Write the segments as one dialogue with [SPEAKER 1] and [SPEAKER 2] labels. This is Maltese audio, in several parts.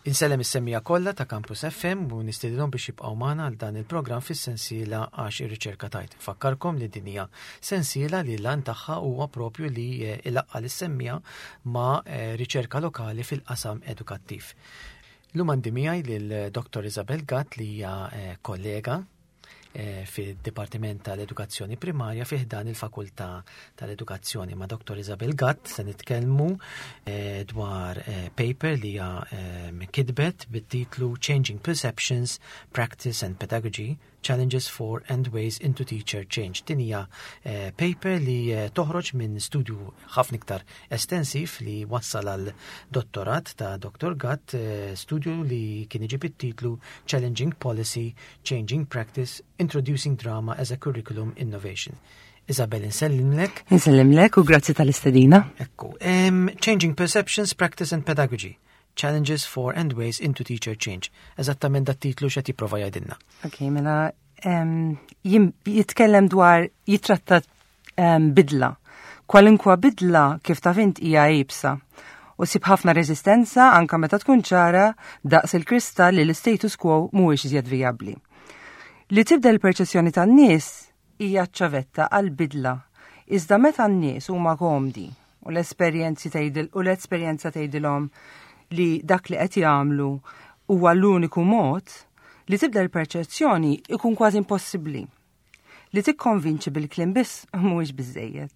[SPEAKER 1] Insellem is-semmiegħa kollha ta' Campus FM u nistedinhom biex jibqgħu magħna għal dan il-programm fis-sensiela Għax ir-Riċerka Tgħid. Infakkarkom li din hija sensiela li l-għan tagħha huwa propju li eh, ilaqqa' lis-semmiegħa ma' eh, riċerka lokali fil-qasam edukattiv. Illum għandi miegħi lil Dr. Isabel Gatt li hija eh, kollega Eh, fid-Dipartiment tal-Edukazzjoni Primarja fi ħdan il-Fakultà tal-Edukazzjoni. Ma' Dr. Isabel Gatt se nitkellmu eh, dwar eh, paper li hija kitbet bit-titlu Changing Perceptions, Practice and Pedagogy Challenges for and Ways into Teacher Change. Din hija paper li toħroġ minn studju ħafna iktar estensiv li wassal għal dottorat ta' Dr. Gatt, studju li kien iġib it-titlu Challenging Policy Changing Practice, Introducing Drama as a Curriculum Innovation. Isabel, insellimlek.
[SPEAKER 2] Insellimlek u grazzi tal-istedina.
[SPEAKER 1] Ekku. Changing Perceptions, Practice and Pedagogy. Challenges for and Ways into Teacher Change. Eżattament dat titlu x'qed jipprova jgħidilna.
[SPEAKER 2] Ok, mela jitkellem dwar jitratta bidla. Kwalinkwa bidla kif taf int hija iebsa u sib ħafna reżistenza anka meta tkun ċara daqs il-kristall li l-status quo mhuwiex iżjed vijabbli. Li tibdel il-perċezzjoni tan-nies hija ċ-ċavetta għal bidla. Iżda meta n-nies huma komdi u l-esperjenzi tgħidil u l-esperjenza tgħidilhom li dak li qed jagħmlu huwa l-uniku mod, li tibdel il-perċezzjoni ikun kważi impossibbli. Li tikkonvinċi bil-kliem biss mhuwiex biżejjed.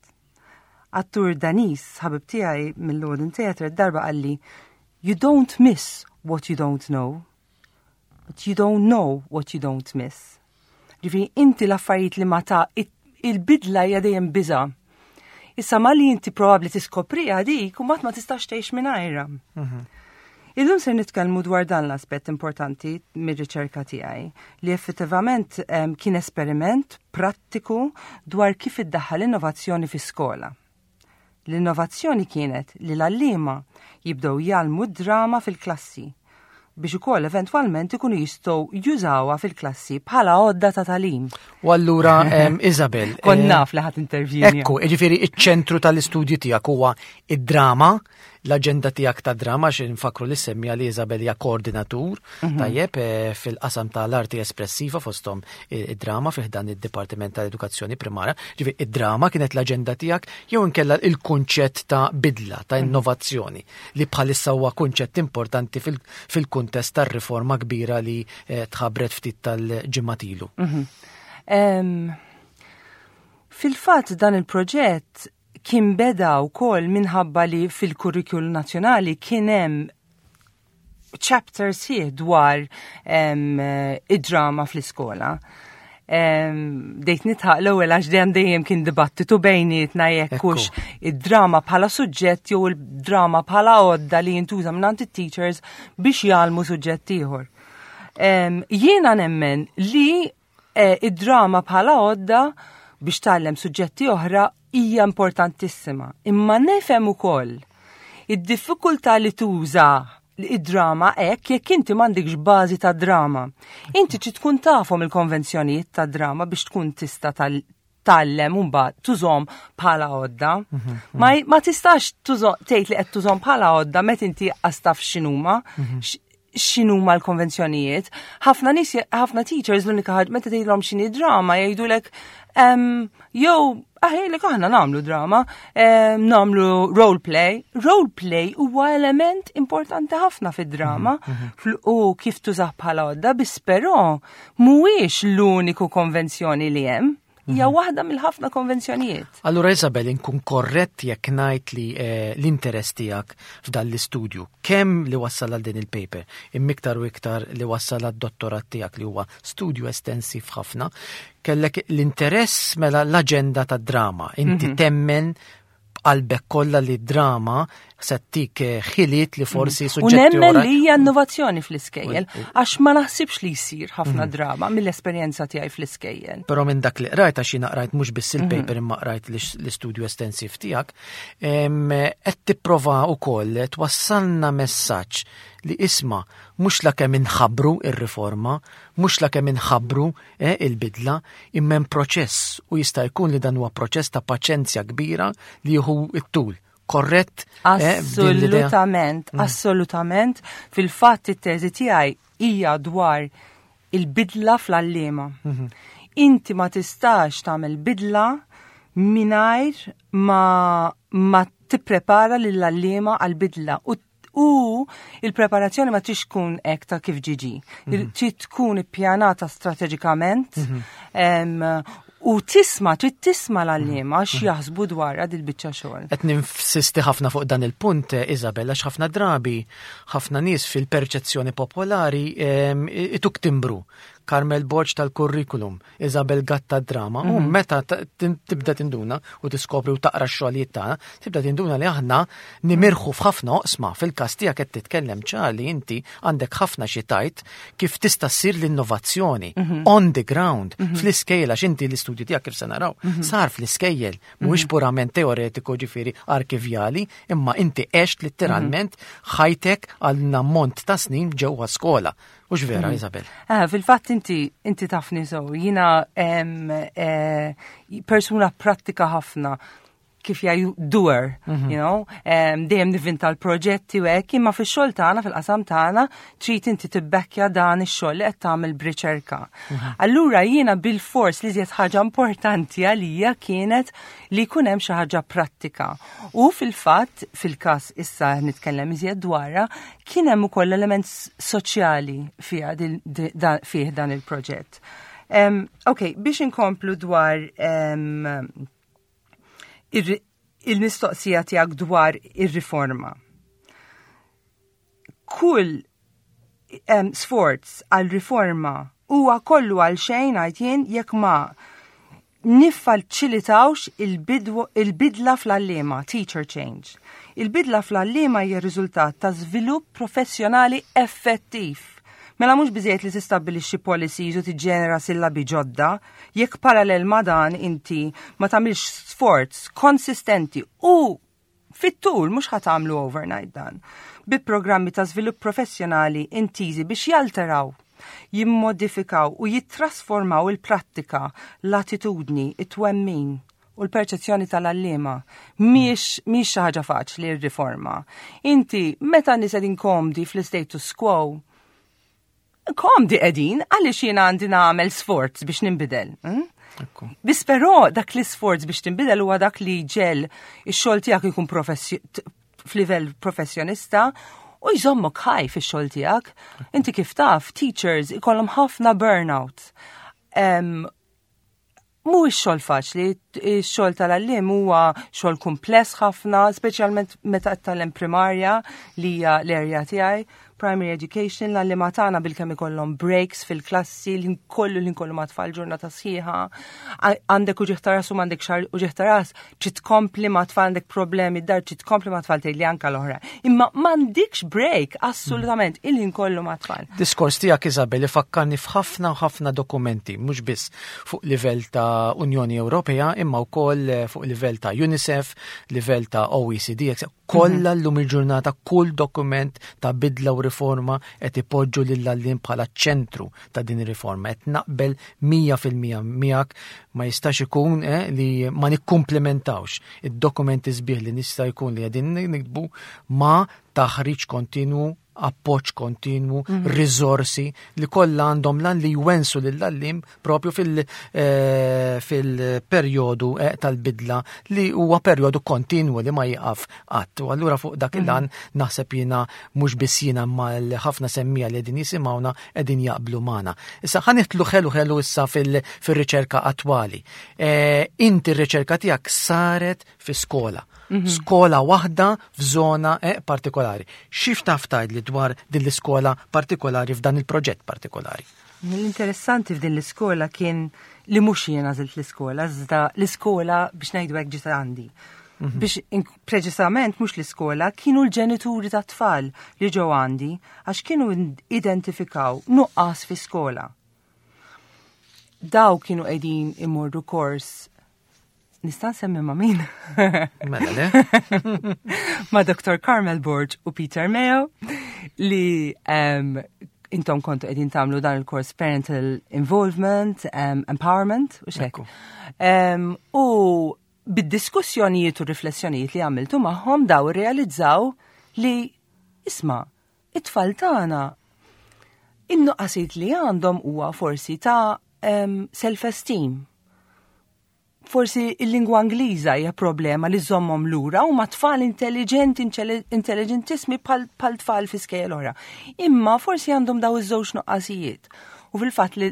[SPEAKER 2] Attur Daniż, ħabib tiegħi mill-Lorden Theatre, darba qalli, You don't miss what you don't know, but you don't know what you don't miss. Ġifieri inti l-affarijiet li ma ta' il-bidla hija dejjem biża'. Issa ma li inti probabbli tiskopriha dik u mat ma tistax tgħix mingħajrha. Mhm. Illum se nitkellmu dwar dan l-aspett importanti mir-riċerka tiegħi li effettivament kien esperiment prattiku dwar kif iddaħħal innovazzjoni fi skola. L-innovazzjoni kienet li l-għalliema jibdew jgħallmu d-drama fil-klassi biex ukoll eventwalment ikunu jistgħu jużawha fil-klassi bħala għodda ta' tagħlim.
[SPEAKER 1] U allura Isabel.
[SPEAKER 2] Kont eh, naf li ħadd intervjuni.
[SPEAKER 1] Ekku, jiġifieri iċ-ċentru tal-istudju tiegħek huwa id-drama, l-aġenda tiegħek ta' drama xi nfakru li semmija li Isabel hija koordinatur mhm. tajjeb eh, fil-qasam tal-arti espressiva fosthom id-drama fih dan id-Dipartiment tal-Edukazzjoni Primarja. Ġifieri id-drama kienet l-aġenda tiegħek jew inkella il-kunċett ta' bidla, ta' mhm. innovazzjoni li bħalissa huwa kunċett importanti fil-kuntest tar-riforma kbira li eh, tħabbret ftit tal-ġimgħat ilu.
[SPEAKER 2] Mhm. Fil-fatt dan il-proġett kien beda wkoll minħabba li fil-kurrikulum nazzjonali kien hemm chapter sħiħ dwar id-drama fl-iskola. Dejt nitħaq l-ewwel għax dejjem dejjem kien dibattitu bejnietna jekk hux id-drama bħala suġġett jew il-drama bħala għodda li jintuża minn it-teachers biex jgħallmu suġġett ieħor. Jiena nemmen li eh, id-drama bħala għodda biex tgħallem suġġetti oħra hija importantissima. Imma nifhem ukoll id-diffikultà li tuża id-drama hekk jekk inti m'għandikx bażi ta' drama. Inti trid tkun tafhom il-konvenzjonijiet ta' drama biex tkun tista' tgħallem u mbagħad tużhom bħala għodda. Mhm, mhm. Ma, ma tistax tgħid li qed tużhom bħala għodda meta inti qas taf x'inhuma, mhm. x'inhuma l-konvenzjonijiet. Ħafna nies, ħafna teachers l-unika ħaġa meta tgħidilhom x'inhi drama jgħidulek jew aħjlek aħna nagħmlu drama, nagħmlu role play. Role play huwa element importanti ħafna fid-drama u kif tużah bħala għodda, biss però mhuwiex l-uniku konvenzjoni li hemm. Hija mhm. waħda mill-ħafna konvenzjonijiet.
[SPEAKER 1] Allura Isabel, inkun korrett jekk ngħid li eh, l-interess tiegħek f'dan l-istudju, kemm li wassal għal din il-paper, imma iktar u iktar li wassal għad-dottorat tiegħek li huwa studju estensiv ħafna, kellek l-interess mela l-aġenda tad-drama. Inti mhm. temmen b'qalbek kollha li drama se ttik eh, ħiliet li forsi
[SPEAKER 2] mm. suġġetti. U nemmen li hija innovazzjoni fl-iskejjel, għax ma naħsibx li jsir ħafna mhm. drama mill-esperjenza tiegħi fl-iskejjel.
[SPEAKER 1] Però minn dak li qrajt għax jiena qrajt mhux biss il-paper mhm. imma qrajt l-istudju estensiv tiegħek, qed tipprova wkoll twassalna messaġġ li isma' mhux la kemm inħabbru ir-riforma, mhux la kemm inħabbru eh, il-bidla, imma hemm proċess u jista' jkun li dan huwa proċess ta' paċenzja kbira li jieħu t-tul. Korrett?
[SPEAKER 2] Assolutament, assolutament. Fil-fatt it-teżi tiegħi hija dwar il-bidla fl-għalliema. Inti ma tistax tagħmel bidla mingħajr ma tipprepara lill-għalliema għal-bidla u il-preparazzjoni ma tix tkun hekk ta' kif ġiġi. Trid tkun ippjanata strateġikament u tisma', trid tisma' l-għalliema x'jaħsbu dwar dil-biċċa xogħol.
[SPEAKER 1] Qed ninsisti ħafna fuq dan il-punt, Isabel, għax ħafna drabi, ħafna nies fil-perċezzjoni popolari ituk timbru. Carmel Borg tal-curriculum, Isabel Gatt tad-drama, u meta tibda tinduna u tiskopri u taqra x-xogħlijiet tagħna, tibda tinduna li aħna nimirħu f'ħafna oqsma. Fil-każ tiegħek qed titkellem ċar li inti għandek ħafna xi tgħid kif tista' ssir l-innovazzjoni on the ground, fl-iskejjel, għax inti l-istudju tiegħek kif se naraw sar fl-iskejjel, mhuwiex purament teoretiku ġifieri arkivjali, imma inti għext letteralment ħajtek għal ammont ta' snin ġewwa skola. Hux vera, Isabel?
[SPEAKER 2] Fil-fatt inti tafni so, jiena persuna pratika ħafna, kif jgħidu doer, dejjem nivinta l-proġetti u hekk, imma fix-xogħol tagħna, fil-qasam tagħna, trid inti tibbekkja dan ix-xogħol li qed tagħmel b'riċerka. Allura jiena bil-fors li żjed ħaġa importanti għalija kienet li jkun hemm xi ħaġa prattika. U fil-fatt, fil-każ issa nitkellem iżjed dwarha, kien hemm ukoll element soċjali fih dan il-proġett. Ok, biex inkomplu dwar il-mistoqsija tiegħek dwar ir-riforma. Kull sforz għal riforma huwa kollu għal xejn għajt jien jekk ma niffaċilitawx il-bidla fl-għalliema, teacher change. Il-bidla fl-għalliema hija riżultat ta' żvilupp professjonali effettiv. Mela mhux biżejjed li tistabbilixxi policies u tiġġenera sillabi ġodda, jekk parallel ma' dan inti ma tagħmilx sforz konsistenti u fit-tul, mhux ħa tagħmlu overnight dan, bi programmi ta' żvilupp professjonali intiżi biex jalteraw, jimmodifikaw u jittrasformaw il-prattika, l-attitudni, it-twemmin u l-perċezzjoni tal-għalliema. Mhix xi ħaġa faċli r-riforma. Inti meta nies qegħdin komdi fl-status quo, komdi qegħdin għaliex jiena għandi nagħmel sforz biex ninbidel. Biss però dak l-isforz biex tinbidel huwa dak li ġel ix-xogħol tiegħek ikun f'livell professjonista u jżommok ħaj fix-xogħol tiegħek. Inti kif taf, teachers ikollhom ħafna burnout. Mhuwiex xogħol faċli, ix-xogħol tal-għalliem huwa xogħol kumpless ħafna, speċjalment meta qed tgħallem primarja li hija l-area tiegħi, primary education, l-għalliema tagħna bilkemm ikollhom breaks fil-klassi, l-ħin kollu ma' tfal ġurnata sħiħa. Għandek uġigħ ta' ras u m'għandek xar uġigħ ta' ras, trid tkompli ma' tfal, għandek problemi d-dar, trid tkompli ma' tfal tgħidli anka l-oħra. Imma m'għandikx break, assolutament, il-ħin kollu ma' tfal.
[SPEAKER 1] Diskors tiegħek, Isabel, ifakkarni f'ħafna u ħafna dokumenti, mhux biss fuq livell ta' Unjoni Ewropea, imma wkoll fuq livell ta' UNICEF, livell ta' OECD, eccetera. Kollha llum il-ġurnata kull dokument ta' bidla u riforma qed ipoġġu lill-għalliem bħala ċentru ta' din ir-riforma. Qed naqbel 100% miegħek, ma jistax ikun li ma nikkumplementawx id-dokumenti sbieħ li nista' jkun li qegħdin nikbu ma' taħriġ kontinwu, appoġġ kontinwu, riżorsi li kollha għandhom lan li jwensu lill-għalliem propju fil-perjodu tal-bidla li huwa perjodu kontinwu li ma jieqaf qatt. U allura fuq dak il-lan naħseb jiena mhux biss jiena ma ħafna semmija li qegħdin jisimgħuna qegħdin jaqblu magħna. Issa ħa nidħlu ħelu ħelu issa fil-riċerka attwali. Inti r-riċerka tiegħek saret fi skola. Skola waħda f'żona partikolari. Xi taf tgħidli dwar din l-iskola partikolari f'dan il-proġett partikolari?
[SPEAKER 2] L-interessanti f'din l-iskola kien li mhux jiena għażilt l-iskola, iżda l-iskola biex ngħidu hekk ġiet għandi. Biex preċisament mhux l-iskola, kienu l-ġenituri ta' tfal li ġew għandi għax kienu identifikaw nuqqas fi skola. Daw kienu qegħdin imorru kors. Nista' nsemmi ma' min?
[SPEAKER 1] Mela le.
[SPEAKER 2] Ma' Dr. Carmel Borg u Peter Mayo li intom kontu qegħdin tagħmlu dan il-kors Parental Involvement, Empowerment u xek. U Bid-diskussjonijiet u riflessjonijiet li għamiltu magħhom daw irrealizzaw li isma' it-tfal tagħna in-nuqqasijiet li għandhom huwa forsi ta' self-esteem. Forsi il-lingwa Ingliża hija problema li żommhom lura u ma tfal intelligenti, intelligentissimi bħal tfal fi skejjel oħra. Imma forsi għandhom daw iż-żewġ nuqqasijiet. U fil-fatt li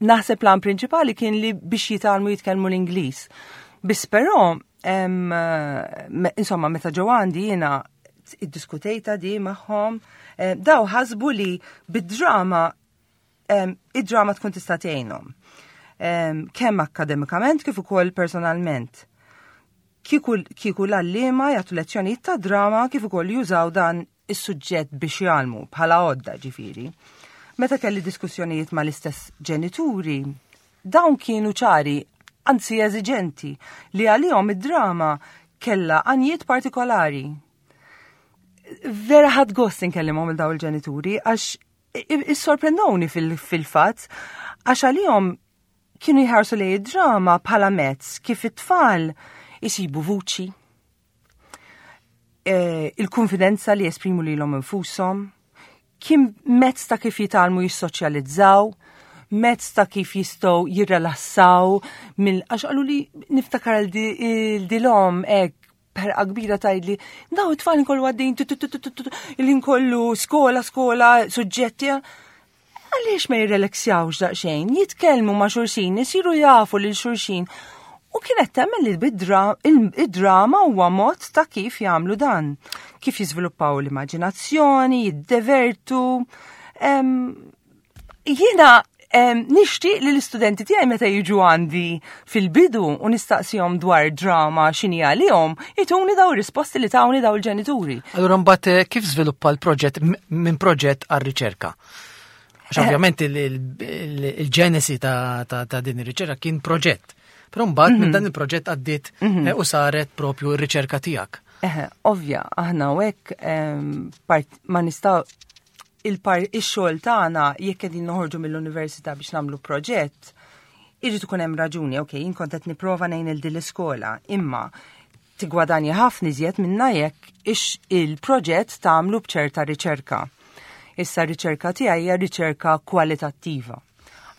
[SPEAKER 2] naħseb plan prinċipali kien li biex jitgħallmu jitkellmu l-Ingliż. Biss però, insomma, meta ġew għandi jiena iddiskutejta di magħhom, daw ħasbu li bid-drama id-drama tkun tista' tgħinhom. Kemm akkademikament kif ukoll personalment. Kieku l-għalliema jagħtu lezzjonijiet ta' drama kif ukoll jużaw dan is-suġġett biex jgħallmu bħala għodda ġifieri. Meta kelli diskussjonijiet mal-istess ġenituri, dawn kienu ċari, anzi eżiġenti, li għalihom id-drama kella għanjiet partikolari. Vera ħadt gost inkellimhom il daw il-ġenituri għax issorprendowni fil-fatt għax għalihom kienu jħarsu lejn id-drama bħala mezz kif it-tfal isibu vuċi, il-konfidenza li jesprimu lilhom infushom, kien mezz ta' kif jitgħallmu jissoċjalizzaw, mezz ta' kif jistgħu jirrelassaw mill għax qalu li niftakar il-dilhom hekk perqa kbira tgħidli, daw it-tfal inkollu għaddejn il-inkollu skola, skola, suġġetti. Għaliex ma jirrelaxjawx daqsxejn, jitkellmu ma' xulxin, isiru jafu lil xulxin. U kienet temmen li id-drama huwa mod ta' kif jagħmlu dan. Kif jiżviluppaw l-immaġinazzjoni, jiddevertu. Jiena nixtieq li l-istudenti tiegħi meta jiġu għandi fil-bidu u nistaqsihom dwar drama x'inhi għalihom, ituni daw risposti li tawni daw il-ġenituri.
[SPEAKER 1] Allura mbagħad kif żviluppa l-proġett minn proġett għar-riċerka? Għax ovvjament il-ġenesi ta' din ir-riċerka kien proġett. Però mbagħad minn dan il-proġett għaddiet u saret propju r-riċerka tiegħek.
[SPEAKER 2] Eħe, ovvja, aħna u hekk ma nistgħu il-xogħol tagħna jekk qegħdin noħorġu mill-università biex nagħmlu proġett, irid ikun hemm raġuni, ok, jien kont qed nipprova ngħin il din l-iskola, imma tigwadanja ħafna iżjed minna jekk ix il-proġett tagħmlu b'ċerta riċerka. Issa r-riċerka tiegħi hija riċerka kwalitattiva.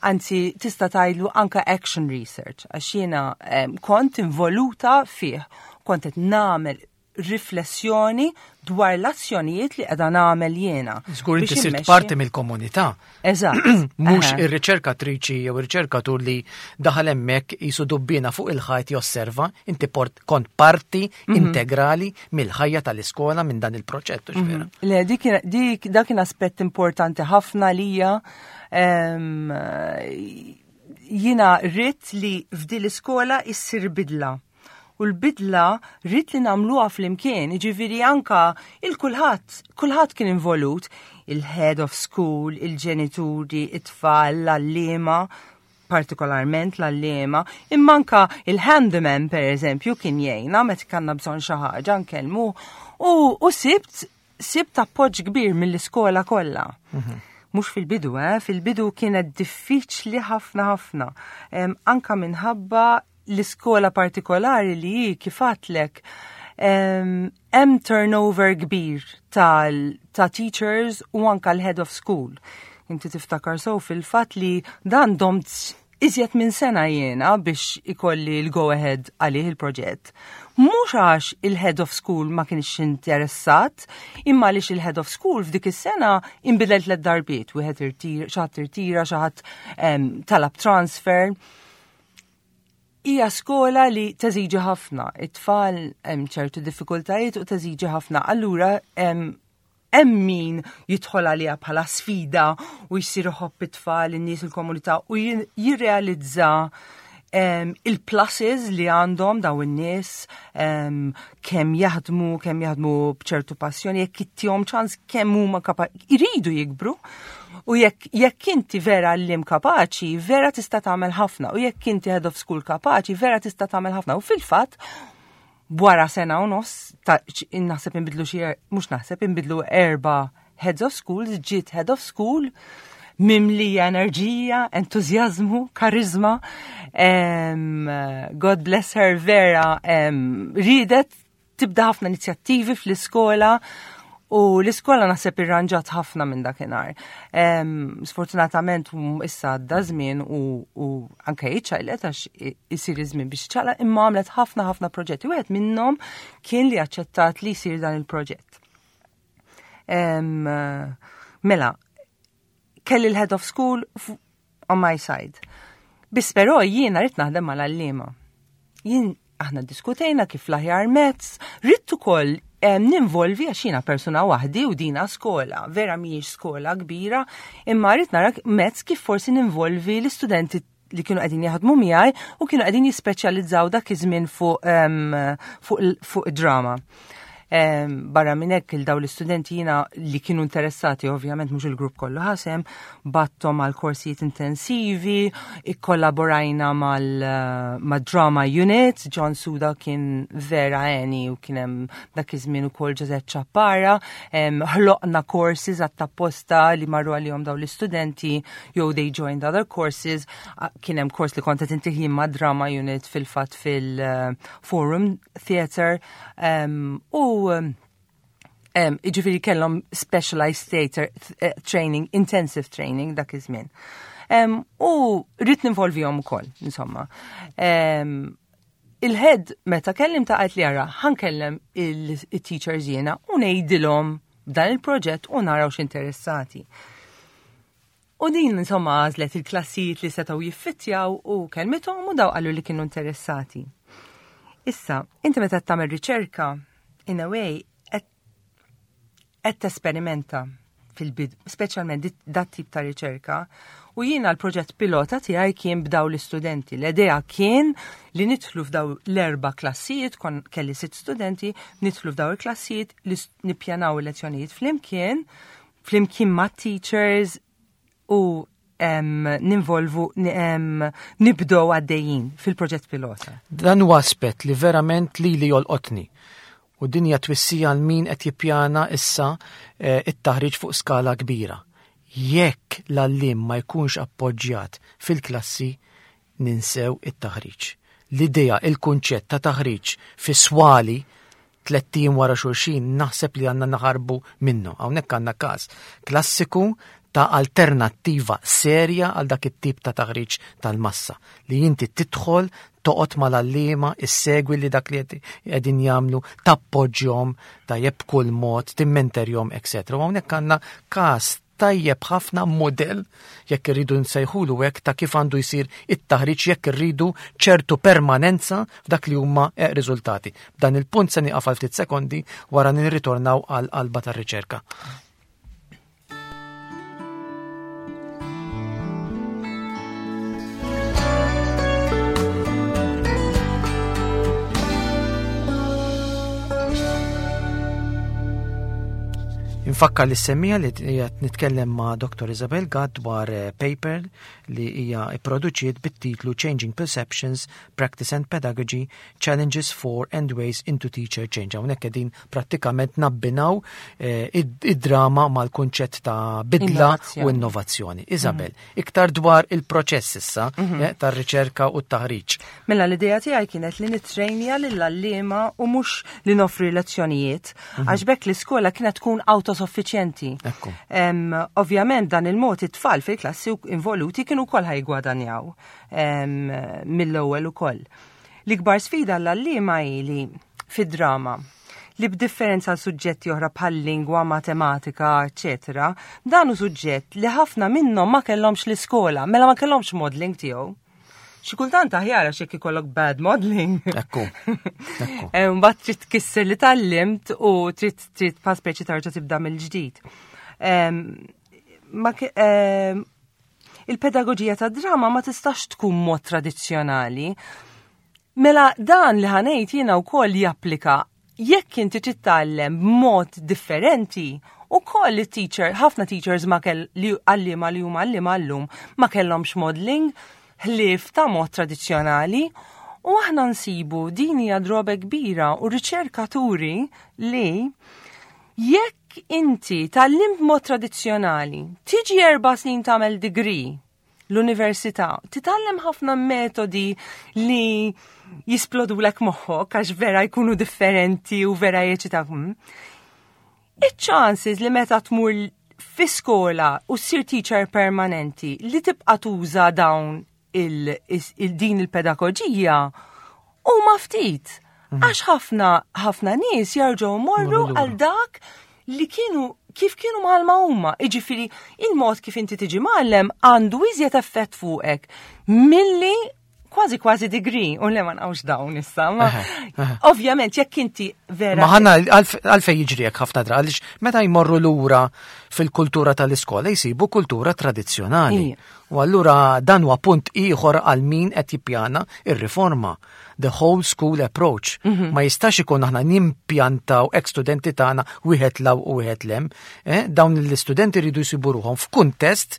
[SPEAKER 2] Anzi, tista' tgħidlu anka action research, għax jiena kont involuta fih, kont qed nagħmel riflessjoni dwar l-azzjonijiet li qiegħda nagħmel jiena.
[SPEAKER 1] Żgur inti
[SPEAKER 2] Biex
[SPEAKER 1] sirt
[SPEAKER 2] immexxi-
[SPEAKER 1] parti mill-komunità.
[SPEAKER 2] Eżatt.
[SPEAKER 1] Mhux ir-riċerkatriċi jew ir-riċerkatur li daħal hemmhekk jisu dubbina fuq il-ħajt josserva, inti kont parti integrali mill-ħajja tal-iskola minn dan il-proġett, hux vera?
[SPEAKER 2] Le, dak kien aspett importanti ħafna lija. Jiena rrid li f'din l-iskola issir bidla. U l-bidla rrid li nagħmluha flimkien, jiġifieri anka il-kulħadd, kulħadd kien involut, il-head of school, il-ġenituri, it-tfal, l-għalliema, partikolarment l-għalliema, imma anka il-handyman per eżempju kien jgħinna meta kellna bżonn xi ħaġa nkellmu u sibt appoġġ kbir mill-iskola kollha. Mhux fil-bidu, fil-bidu kienet diffiċli ħafna ħafna. Anka minħabba l-iskola partikolari li hi kif għedtlek, hemm turnover kbir ta' teachers u anka l-head of school. Inti tiftakar sew fil-fatt li dan domt iżjed minn sena jiena biex ikolli l-go ahead għalih il-proġett. Mhux għax il-head of school ma kienx interessat, imma għaliex il-head of school f'dik is-sena inbidel 3 darbiet, wieħed irtira, xi ħadd irtira, xi ħadd talab transfer. Hija skola li teżiġi ħafna, it-tfal hemm ċertu diffikultajiet u teżiġi ħafna. Allura hemm min jidħol għaliha bħala sfida u jsir iħobb it-tfal, in-nies, il-komunità u jirrealizza il-pluses li għandhom daw in-nies, kemm jaħdmu b'ċertu passjoni, jekk ittihom ċans kemm huma iridu jikbru. U jekk inti vera għalliem kapaċi, vera tista' tagħmel ħafna. U jekk inti head of school kapaċi, vera tista' tagħmel ħafna. U fil-fatt, wara sena u nofs, naħseb inbidlu xi mhux naħseb inbidlu 4 heads of schools, ġiet head of school. mimlija enerġija, entużjażmu, karizma. God bless her, vera ridet tibda ħafna inizjattivi fl-iskola u l-iskola naħseb irranġat ħafna minn dakinhar. Sfortunatament issa għadda żmien u, u anke iċċaqlet għax isir iż-żmien biex iċċaqlaq imma għamlet ħafna ħafna proġetti. Wieħed minnhom kien li aċċettat li jsir dan il-proġett. Mela, kelli l-head of school on my side. Biss però jiena rrid naħdem mal-għalliema. Jien aħna diskutejna kif l-aħjar mezz, rrid ukoll ninvolvi għax jiena persuna waħdi u dina skola, vera mhijiex skola kbira, imma rrid nara mezz kif forsi ninvolvi l-istudenti li kienu qegħdin jaħdmu miegħi u kienu qegħdin jispeċjalizzaw dak iż-żmien fuq fuq fuq drama. Barra minn hekk il daw l-istudenti jiena li kienu interessati, ovvjament mhux il-grupp kollu ħasem, battom għal korsijiet intensivi, ikkollaborajna mal-drama unit, John Suda kien vera għeni u kien hemm dak iż-żmien ukoll Ġożett Ċappara, ħloqna courses għat-tapposta li marru għalihom daw l-istudenti jew they joined other courses, kien hemm kors li kont qed intih ma' drama unit fil-fatt fil-Forum Theatre u iġifieri kellhom specialized theatre eh, training, intensive training dak iż-żmien. U rrid ninvolvihom ukoll, insomma. Il-head meta kellim ta' għajt li għara, ħankellem il-teachers jiena u ngħidilhom dan il-proġett u naraw x'interessati. U din insomma għażlet il-klassijiet li setgħu jiffittjaw u kelmithom u daw qalu li kienu interessati. Issa, inti meta tagħmel riċerka, in a way, qed tesperimenta fil-bid, speċjalment dat tip ta' riċerka. U jiena l-proġett pilota tiegħi kien b'daw l-istudenti. L-idea kien li nidħlu f'daw l-erba' klassijiet, kon kelli sitt studenti, nidħlu f'daw il-klassijiet, li nippjanaw il-lezzjonijiet flimkien, flimkien ma' teachers u ninvolvu nibdow għaddejjin fil-proġett pilota.
[SPEAKER 1] Dan huwa aspett li verament li li jolqotni. U din hija twissija għal min qed jippjana issa eh, it-taħriġ fuq skala kbira. Jekk l-għallim ma jkunx appoġġjat fil-klassi, ninsew it-taħriġ. L-idea, il-kunċett ta' taħriġ fi swali tlett ijiem wara xulxin naħseb li għandna naħarbu minnu. Hawnhekk għandna każ klassiku ta' alternattiva serja għal dak it-tip ta' taħriġ tal-massa li inti tidħol toqgħod mal-għalliema, issegwi li dak li qegħdin jagħmlu, tappoġġjhom tajjeb b'kull mod, timmenterjhom, etc. U hawnhekk għandna każ tajjeb ħafna modell jekk irridu nsejħulu hekk ta' kif għandu jsir it-taħriġ jekk irridu ċertu permanenza f'dak li huma eh, riżultati. B'dan il-punt se nieqaf għal ftit sekondi wara nirritornaw għal qalba tar-riċerka. Infakkar li semmija li qed nitkellem ma' Dr. Isabel Gatt dwar eh, paper li hija pproduċiet bit-titlu Changing Perceptions, Practice and Pedagogy, Challenges for and Ways into Teacher Change. Hawnhekk qegħdin prattikament nabbinaw eh, id-drama mal-kunċett ta' bidla u innovazzjoni. Isabel, mhm. iktar dwar il-proċess issa mhm. eh, tar-riċerka u t-taħriġ.
[SPEAKER 2] Mela l-idea tiegħi kienet li nittrejnja lill-għalliema u mhux li noffri lezzjonijiet, mhm. għax bekk l-iskola kienet tkun autosuffiċjenti. Ovvjament dan il-mod it-tfal fil-klassi involuti kienu wkoll ħajgwadanjaw mill-ewwel ukoll. L-ikbar sfida l-għalliema hi li fid-drama li b'differenza għal suġġetti oħra bħal lingwa, matematika, eċetera, dan hu suġġett li ħafna minnhom ma kellhomx l-iskola, mela ma kellhomx modeling tiegħu. Xi kultant aħjar għax jekk ikollok bad modeling.
[SPEAKER 1] Ekku.
[SPEAKER 2] Eh, mbagħad trid tkisser li tallimt u trid trid pa speċi tarġa' tibda mill-ġdid. Il-pedagoġija ta' drama ma tistax tkun mod tradizzjonali. Mela dan li ħanejt jiena wkoll japplika jekk inti titgħallem b'mod differenti, ukoll it-teacher, ħafna teachers ma kell li għalliema li huma għalliema llum ma kellhomx modeling ħlief ta' mod tradizzjonali u aħna nsibu din hija droba kbira u riċerkaturi li jekk Jekk inti tgħallimt mod tradizzjonali, tiġi 4 snin tagħmel degree l-università, titgħallem ħafna metodi li jisplodulek moħħok għax vera jkunu differenti u vera jeċitak. Iċ-chances li meta tmur fi skola u ssir teacher permanenti li tibqa' tuża dawn il-din il-pedagoġija huma ftit. Għax ħafna ħafna nies jarġgħu morru għal dak li kienu kif kienu mgħallma huma. Iġifieri il-mod kif inti tiġi mgħallem għandu iżjed effett fuqek milli kważi kważi degree, u le ma nqawx dawn issa, ma ovvjament jekk inti vera.
[SPEAKER 1] Ma ħanna għalfej jiġri hekk ħafna drabi, għaliex meta jmorru lura fil-kultura tal-iskola jsibu kultura tradizzjonali. U allura dan huwa punt ieħor għal min qed jippjana ir-riforma. The whole school approach. Ma jistax ikun aħna nimpjantaw ex studenti tagħna wieħed 'l hawn u wieħed 'l hemm. Dawn l-istudenti rridu jsibu ruħhom f'kuntest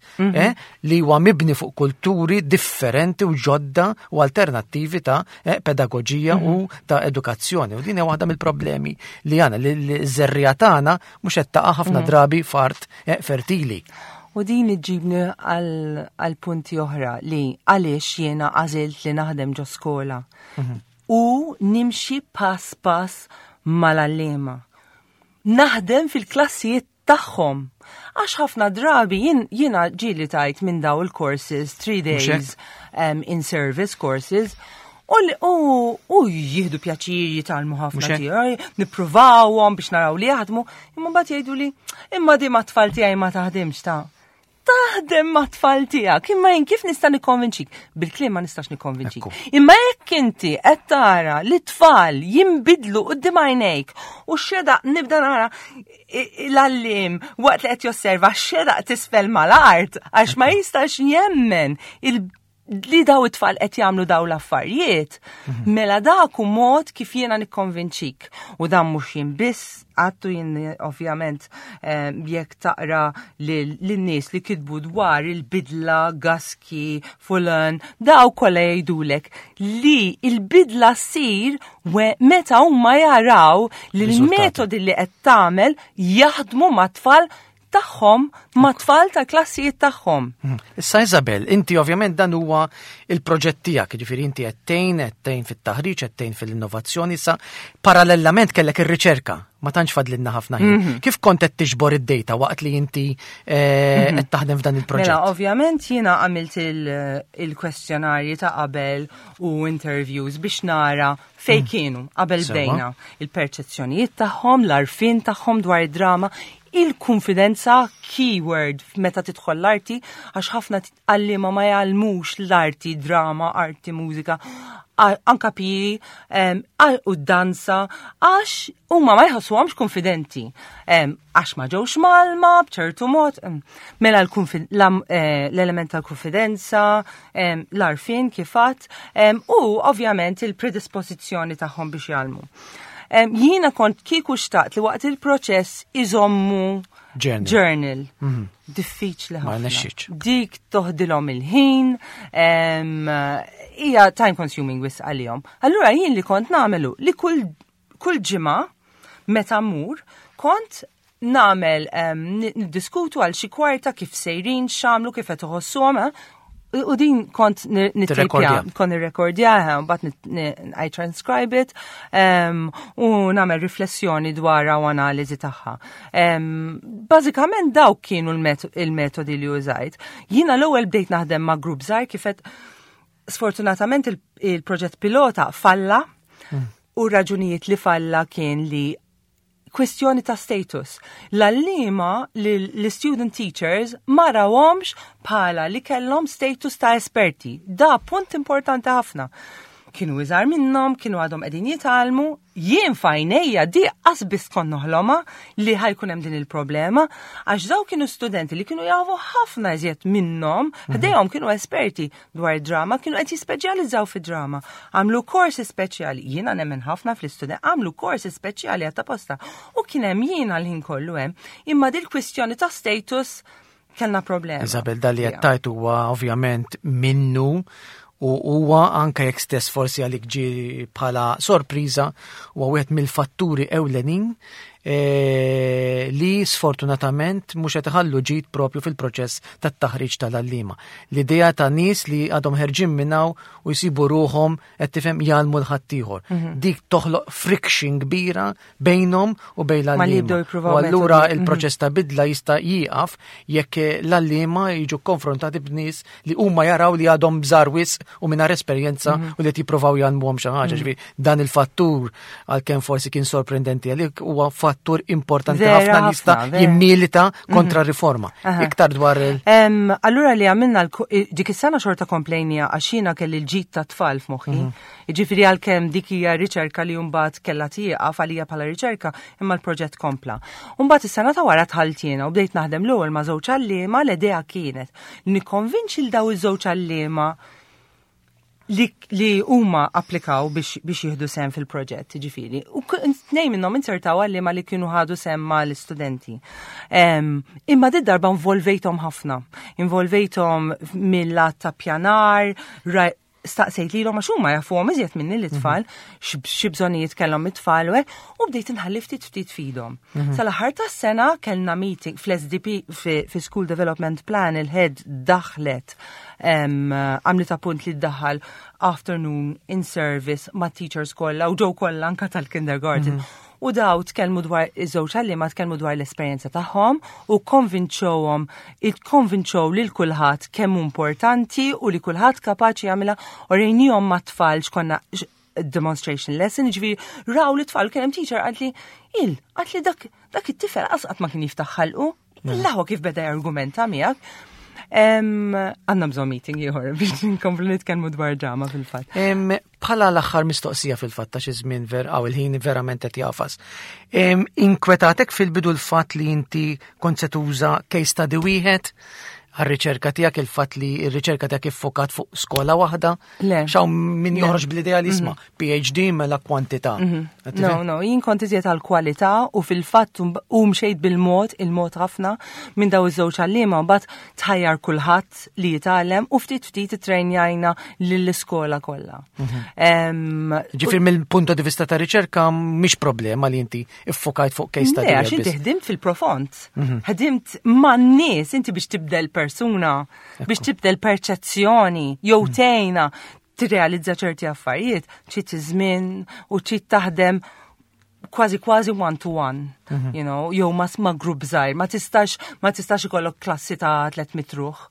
[SPEAKER 1] li huwa mibni fuq kulturi differenti u ġodda u alternattivi ta' pedagoġija u ta' edukazzjoni. U din hija waħda mill-problemi li għandna li ż-żerriegħa tagħna mhux qed taqa' ħafna drabi f'art fertili.
[SPEAKER 2] U din iġibni għal punti oħra li għaliex jiena għażilt li naħdem ġo skola. U nimxi pass pass mal-għalliema. Naħdem fil-klassijiet tagħhom. Għax ħafna drabi jiena ġieli tajt minn daw il-courses, 3 days in service courses, u jieħdu pjaċir jitgħallmu ħafna tiegħi, nippruvawhom biex naraw li jaħdmu, imma mbagħad jgħidu li imma di mat-tfal tiegħi ma taħdimx ta' taħdem mat-tfal tiegħek, imma jien kif nista' nikkonvinċik? Bil-kliem ma nistax nikkonvinċik. Imma jekk inti qed tara li tfal jinbidlu quddiem għajnejk u xedaq nibda nara l-għalliem waqt li qed josserva xedaq t'isfel mal-art għax ma jistax jemmen li daw it-tfal qed jagħmlu daw l-affarijiet, mela dak hu mod kif jiena nikkonvinċik. U dan mhux jien biss, għattu jien ovvjament jekk taqra lin-nies li kitbu dwar il-bidla, Guskey, Fullan, daw kollha jgħidulek li il-bidla ssir meta huma jaraw li l-metodi li qed tagħmel jaħdmu mat-tfal tagħhom, ma' tfal ta' klassijiet tagħhom.
[SPEAKER 1] Issa Isabel, inti ovvjament dan huwa il-proġett tiegħek, jiġifieri inti qed tgħin fit-taħriġ, qed tgħin fil-innovazzjoni, issa parallelament kellek ir-riċerka, ma tantx fadlilna ħafna ħin. Kif kont qed tiġbor id-data waqt li inti qed taħdem f'dan il-proġett?
[SPEAKER 2] Mela, ovvjament jiena għamilt il-kwestjonarji ta' qabel u interviews biex nara fej kienu qabel bdejna il-perċezzjonijiet tagħhom, l-għarfien tagħhom dwar id-drama, il-konfidenza, keyword meta tidħol l-arti, għax ħafna għalliema ma jgħallmux l-arti, drama, arti, mużika, anka PE, u danza, għax huma ma jħossuhomx konfidenti. Għax ma ġewx mgħallma b'ċertu mod. Mela l-element tal-konfidenza, l-għarfien kif għedt, u ovvjament il-predispożizzjoni tagħhom biex jgħallmu. Jiena kont kieku xtaqt li waqt il-proċess iżommu
[SPEAKER 1] Journal.
[SPEAKER 2] Journal. Diffiċli
[SPEAKER 1] Ma
[SPEAKER 2] ħafna.
[SPEAKER 1] nexxitx.
[SPEAKER 2] Dik toħdilhom il-ħin, hija time consuming wisq għalihom. Allura jien li kont nagħmelu li kull ġimgħa meta mmur kont nagħmel niddiskutu għal xi kwarta kif sejrin, x'għamlu, kif qed iħossuhom, eh? U din kont nittejpja,
[SPEAKER 1] Tirrekordja.
[SPEAKER 2] kont nirrekordja, mbagħad I transcribe it, u nagħmel riflessjoni dwarha u analiżi tagħha. Bażikament dawk kienu il-metodi li użajt. Jiena l-ewwel bdejt naħdem ma' grupp żgħir kif qed sfortunatament il-proġett pilota falla u raġunijiet li falla kien li kwestjoni ta' status. L-għalliema li l-student teachers ma rawhomx bħala li kellhom status ta' esperti. Da punt importanti ħafna. Kienu iżgħar minnhom, kienu għadhom qegħdin jitgħallmu, jien f'għajnejja di qas biss kont noħlomha li ħa jkun hemm din il-problema, għax daw kienu studenti li kienu jafu ħafna iżjed minnhom, ħdejhom kienu esperti dwar drama, kienu qed jispeċjalizzaw fi drama. Għamlu korsi speċjali, jiena nemmen ħafna fl-istudent, għamlu korsi speċjali għat-taposta. U kien hemm jiena l-ħin kollu hemm, imma dil kwistjoni ta' status kellna problema.
[SPEAKER 1] Isabel, dal li qed tajt huwa ovvjament minnu u huwa anke jekk stess forsi għalik ġi bħala sorpriża huwa wieħed mill-fatturi ewlenin. E, li sfortunatament mhux qed iħallu ġid propju fil-proċess tat-taħriġ tal-għalliema. L-idea ta' nies li għadhom ħerġin minn hawn u jsibu ruħhom qed tifhem jgħallmu 'l ħaddieħor. Dik toħloq friction kbira bejnhom u bejn
[SPEAKER 2] Ma li
[SPEAKER 1] l-għalliema.
[SPEAKER 2] jibdew jippruvaw
[SPEAKER 1] U allura
[SPEAKER 2] metodi.
[SPEAKER 1] il-proċess ta' bidla jista' jieqaf jekk l-għalliema jiġu konfrontati b'nies li huma jaraw li għadhom żgħar wisq u mingħajr esperjenza u li qed jippruvaw jgħallmuhom xi ħaġa. Ġifieri dan il-fattur għalkemm forsi kien sorprendenti għalik huwa fattur importanti
[SPEAKER 2] Vera
[SPEAKER 1] ħafna li jista'
[SPEAKER 2] ħafna, vera.
[SPEAKER 1] jimmilita kontra riforma.
[SPEAKER 2] Aha.
[SPEAKER 1] Iktar dwar il-
[SPEAKER 2] Allura li għamilna dik is-sena xorta komplejnija għax jiena kelli l-ġid ta' tfal f'moħħi. Jiġifieri għalkemm dik hija riċerka li mbagħad kellha tieqaf għalija bħala riċerka, imma l-proġett kompla. Mbagħad is-sena ta' wara dħalt jiena u bdejt naħdem l-ewwel ma' żewġ għalliema l-idea kienet li nikkonvinċi l daw iż-żewġ għalliema li huma applikaw biex jieħdu sehem fil-proġett, ġifieri. U tnejn minnhom insertaw għalliema li kienu ħadu sehem mal-istudenti. Imma di darba involvejthom ħafna. Involvejthom mill-lat ta' pjanar, staqsejt lilhom għax huma jafuhom iżjed minni l-itfal, xi bżonnijiet kellhom it-tfal u hekk, u bdejt inħalli ftit ftit fidhom. Sal-aħħar tas-sena kellna meeting fl-SDP fi School Development Plan il-head daħlet għamlet appunt li ddaħħal afternoon in service ma' teachers kollha u ġew kollha anka tal-kindergarten. U daw tkellmu dwar iż-żewġ għalliema tkellmu dwar l-esperjenza tagħhom u konvinċewhom, ikkonvinċew lil kulħadd kemm hu importanti u li kulħadd kapaċi jagħmilha u rejnihom mat-tfal x'konna demonstration lesson, ġifieri raw li tfal kien hemm teacher qalt li il, qalt li dak it-tifel qatt ma kien jiftaħ ħalqu, l-aħwa kif beda jargumenta miegħek. Għandna bżonn meeting ieħor biex nkomplu nitkellmu dwar drama fil-fatt.
[SPEAKER 1] Bħala l-aħħar mistoqsija fil-fatt ta' xi żmien ver għaw il-ħin verament qed jafas. Inkwetatek fil-bidu l-fatt li inti kont se tuża case study wieħed għar-riċerka tiegħek, il-fatt li r-riċerka tiegħek iffokat fuq skola waħda?
[SPEAKER 2] Le.
[SPEAKER 1] X'hawn min
[SPEAKER 2] Le.
[SPEAKER 1] joħroġ bl-idea li isma' PhD mela kwantità. Qed
[SPEAKER 2] No,
[SPEAKER 1] tifhem?
[SPEAKER 2] no, jien kont iżjed għal kwalità u fil-fatt u mxejt bil-mod, il-mod ħafna minn daw iż-żewġ għalliema mbagħad tħajjar kulħadd li jitgħallem u ftit ftit ittrejnjajna lill-iskola kollha.
[SPEAKER 1] Ġifieri mill-punto di vista ta' riċerka mhix problema li inti iffokajt fuq case study
[SPEAKER 2] Le, għax
[SPEAKER 1] wieħed
[SPEAKER 2] inti
[SPEAKER 1] biss.
[SPEAKER 2] ħdimt fil-profond. Ħdimt man-nies inti biex tibdel persuna, biex tibdel perċezzjoni, jew tgħinha tirrealizza ċerti affarijiet, trid żmien u trid taħdem kważi kważi one to one, jew ma grupp żgħir, ma tistax ikollok klassi ta' 300 ruħ.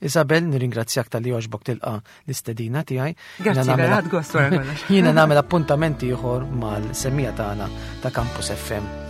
[SPEAKER 1] Isabel, nirringrazzjak talli għoġbok tilqa l-istedina tiegħi.
[SPEAKER 2] Grazzi,
[SPEAKER 1] Jiena nagħmel
[SPEAKER 2] vera, ħadt gost wara kollox.
[SPEAKER 1] Jiena nagħmel appuntamenti ieħor mal-semmiegħa tagħna ta' Campus FM.